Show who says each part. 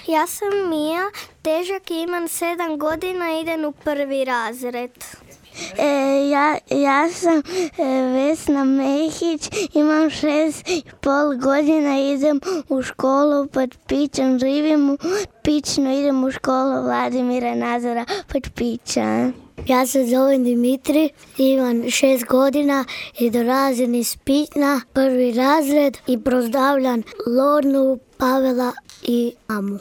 Speaker 1: Ja sam Mija, težak imam 7 godina, idem u 1. razred.
Speaker 2: Ja sam Vesna Mehić, imam 6,5 godina, idem u školu pod Pićom, živim u Pićnu, idem u školu Vladimira Nazora pod Pića.
Speaker 3: Ja se zovem Dimitri, imam 6 godina i dolazim iz Pićna, 1. razred i pozdravljam Lornu, Pavela i mamu.